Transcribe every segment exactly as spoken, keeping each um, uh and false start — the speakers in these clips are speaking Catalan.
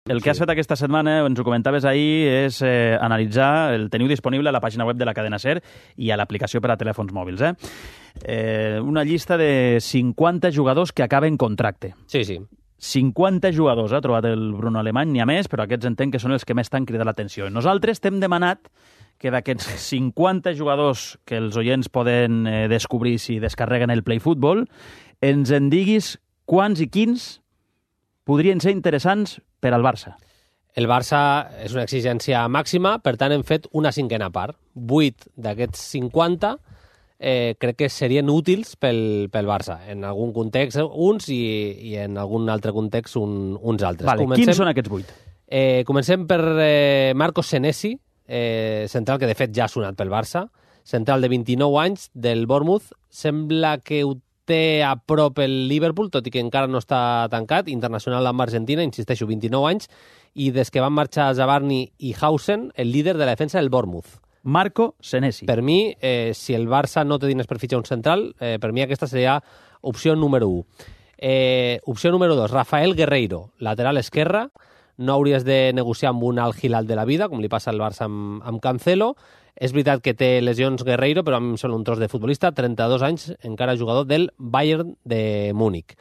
El que has fet aquesta setmana, ens ho comentaves ahir, és eh, analitzar, el teniu disponible a la pàgina web de la cadena SER i a l'aplicació per a telèfons mòbils. Eh? Eh, una llista de cinquanta jugadors que acaben contracte. Sí, sí. cinquanta jugadors, ha trobat el Bruno Alemany, n'hi ha més, però aquests entenc que són els que més t'han cridat l'atenció. Nosaltres t'hem demanat que d'aquests cinquanta jugadors que els oients poden eh, descobrir si descarreguen el Play Football, ens en diguis quants i quins podrien ser interessants per al Barça. El Barça és una exigència màxima, per tant hem fet una cinquena part. Vuit d'aquests cinquanta eh, crec que serien útils pel, pel Barça. En algun context uns i, i en algun altre context un, uns altres. Vale, comencem... Quins són aquests vuit? Eh, comencem per eh, Marcos Senesi, eh, central que de fet ja ha sonat pel Barça, central de vint-i-nou anys del Bournemouth. Sembla que ho té a prop el Liverpool, tot i que encara no està tancat, internacional amb Argentina, insisteixo, vint-i-nou anys, i des que van marxar Zabarni i Hausen, el líder de la defensa del Bournemouth. Marco Senesi. Per mi, eh, si el Barça no té diners per fitxar un central, eh, per mi aquesta seria opció número u. Eh, opció número dos, Rafael Guerreiro, lateral esquerra. No hauries de negociar amb un Al Hilal de la vida, com li passa al Barça amb, amb Cancelo. És veritat que té lesions Guerreiro, però a mi em sembla un tros de futbolista, trenta-dos anys, encara jugador del Bayern de Múnich.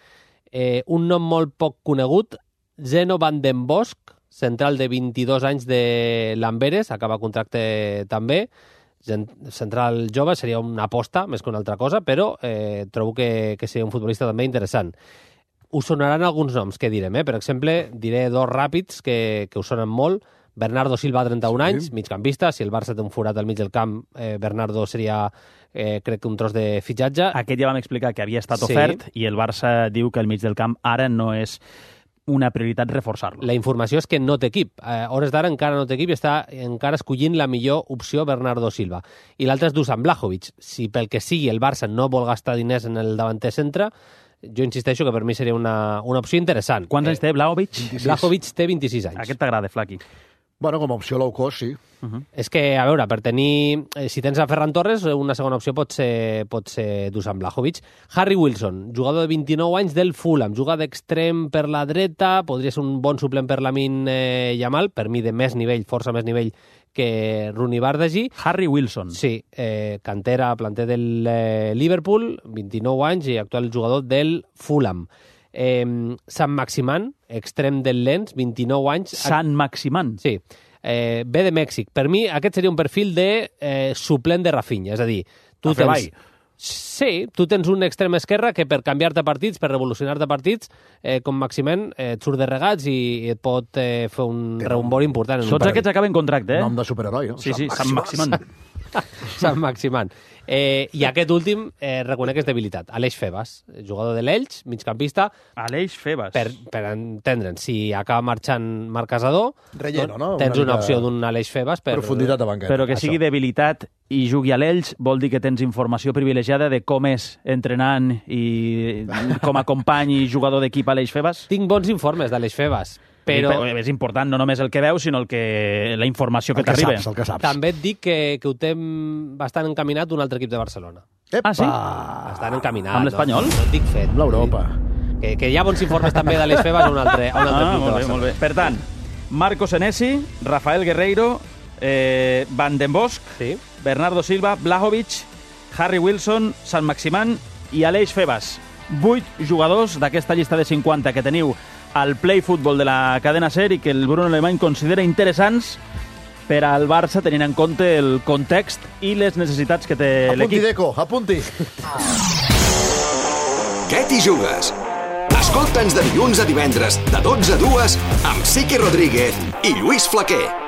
Eh, un nom molt poc conegut, Zeno van den Bosch, central de vint-i-dos anys de l'Amberes, acaba contracte també, central jove, seria una aposta més que una altra cosa, però eh, trobo que, que seria un futbolista també interessant. Us sonaran alguns noms que direm, eh? Per exemple, diré dos ràpids que, que us sonen molt. Bernardo Silva, trenta-un anys, sí. Migcampista. Si el Barça té un forat al mig del camp, eh, Bernardo seria, eh, crec que un tros de fitxatge. Aquest ja vam explicar que havia estat ofert, sí. I el Barça diu que el mig del camp ara no és una prioritat reforçar-lo. La informació és que no té equip. A hores d'ara encara no té equip i està encara escollint la millor opció Bernardo Silva. I l'altre és Dusan Blajovic. Si pel que sigui el Barça no vol gastar diners en el davanter centre, jo insisteixo que per mi seria una, una opció interessant. Quants eh, anys té Blajovic? Blajovic té vint-i-sis anys. Aquest t'agrada, Flaqui? Bueno, com a opció low cost, sí. Uh-huh. És que, a veure, per tenir... Eh, si tens a Ferran Torres, una segona opció pot ser, pot ser Dusan Blajovic. Harry Wilson, jugador de vint-i-nou anys del Fulham, juga d'extrem per la dreta, podria ser un bon suplent per Lamin eh, Yamal, per mi de més nivell, força més nivell que Rooney Bardghji. Harry Wilson. Sí, eh, cantera, planter del eh, Liverpool, vint-i-nou anys i actual jugador del Fulham. Eh, Sant Maximan, extrem del Lens, vint-i-nou anys. Sant Maximan? Sí. Eh, ve de Mèxic. Per mi aquest seria un perfil de eh, suplent de Rafinha, és a dir, tu a tens... Sí, tu tens un extrem esquerra que per canviar-te partits, per revolucionar-te partits, eh, com Maximen, eh, et surt de regats i et pot eh, fer un reumbori important. En Tots aquests acaben contracte, eh? Nom de superheroi, no? Sí, sí, Sant Maximan. Sant Maximan. Eh, I aquest últim, eh, reconec que és debilitat. Aleix Febas, jugador de l'Elx, migcampista. Aleix Febas. Per, per entendre'n, si acaba marxant Marc Casador, Relleno, no? Tens una, una opció d'un Aleix Febas. Per... Profunditat de banqueta. Però que sigui debilitat i jugui a l'Elx vol dir que tens informació privilegiada de com és entrenant i com a company i jugador d'equip Aleix Febas? Tinc bons informes d'Aleix Febas. Però... És important no només el que veus, sinó el que, la informació que, que t'arriba. Saps, el que saps. També et dic que, que ho té bastant encaminat un altre equip de Barcelona. Epa! Ah, sí? Bastant encaminat. Amb l'Espanyol? No, no et dic fet. Amb l'Europa. Que, que hi ha bons informes també d'Aleix Febas a un altre, a un altre ah, club de molt bé, Barcelona. molt bé. Per tant, Marco Senesi, Rafael Guerreiro, eh, Van den Bosch, sí. Bernardo Silva, Blajovic, Harry Wilson, Sant Maximan i Aleix Febas. Vuit jugadors d'aquesta llista de cinquanta que teniu al Play Football de la cadena SER i que el Bruno Alemany considera interessants per al Barça, tenint en compte el context i les necessitats que té l'equip. Apunti, Deco, apunti. Què t'hi jugues? Escolta'ns de dilluns a divendres, de dotze a dues, amb Siqui Rodríguez i Lluís Flaquer.